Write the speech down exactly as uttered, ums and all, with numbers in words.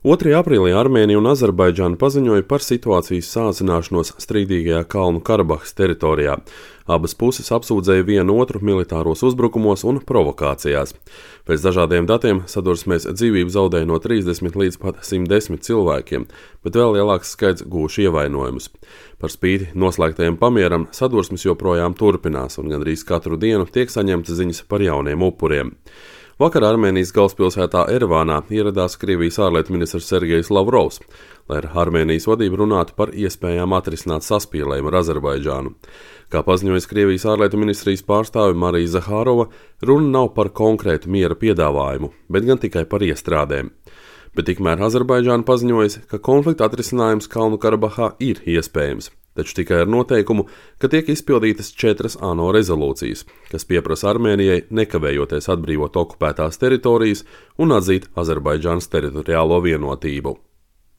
otrajā aprīlī Armēnija un Azerbaidžāna paziņoja par situācijas sāsināšanos strīdīgajā Kalnu Karabahas teritorijā. Abas puses apsūdzēja vienu otru militāros uzbrukumos un provokācijās. Pēc dažādiem datiem sadursmēs dzīvību zaudēja no trīsdesmit līdz pat simt desmit cilvēkiem, bet vēl lielāks skaits guvuši ievainojumus. Par spīti noslēgtajam pamieram sadursmes joprojām turpinās un gandrīz katru dienu tiek saņemtas ziņas par jauniem upuriem. Vakar Armēnijas galvaspilsētā Erevānā ieradās Krievijas ārlietu ministrs Sergejs Lavrovs, lai ar Armēnijas vadību runātu par iespējām atrisināt saspīlējumu ar Azerbaidžānu. Kā paziņojas Krievijas ārlietu ministrijas pārstāve Marija Zahārova, runa nav par konkrētu miera piedāvājumu, bet gan tikai par iestrādēm. Bet tikmēr Azerbaidžāna paziņojas, ka konflikta atrisinājums Kalnu Karabahā ir iespējams, taču tikai ar noteikumu, ka tiek izpildītas četras ANO rezolūcijas, kas pieprasa Armēnijai nekavējoties atbrīvot okupētās teritorijas un atzīt Azerbaidžānas teritoriālo vienotību.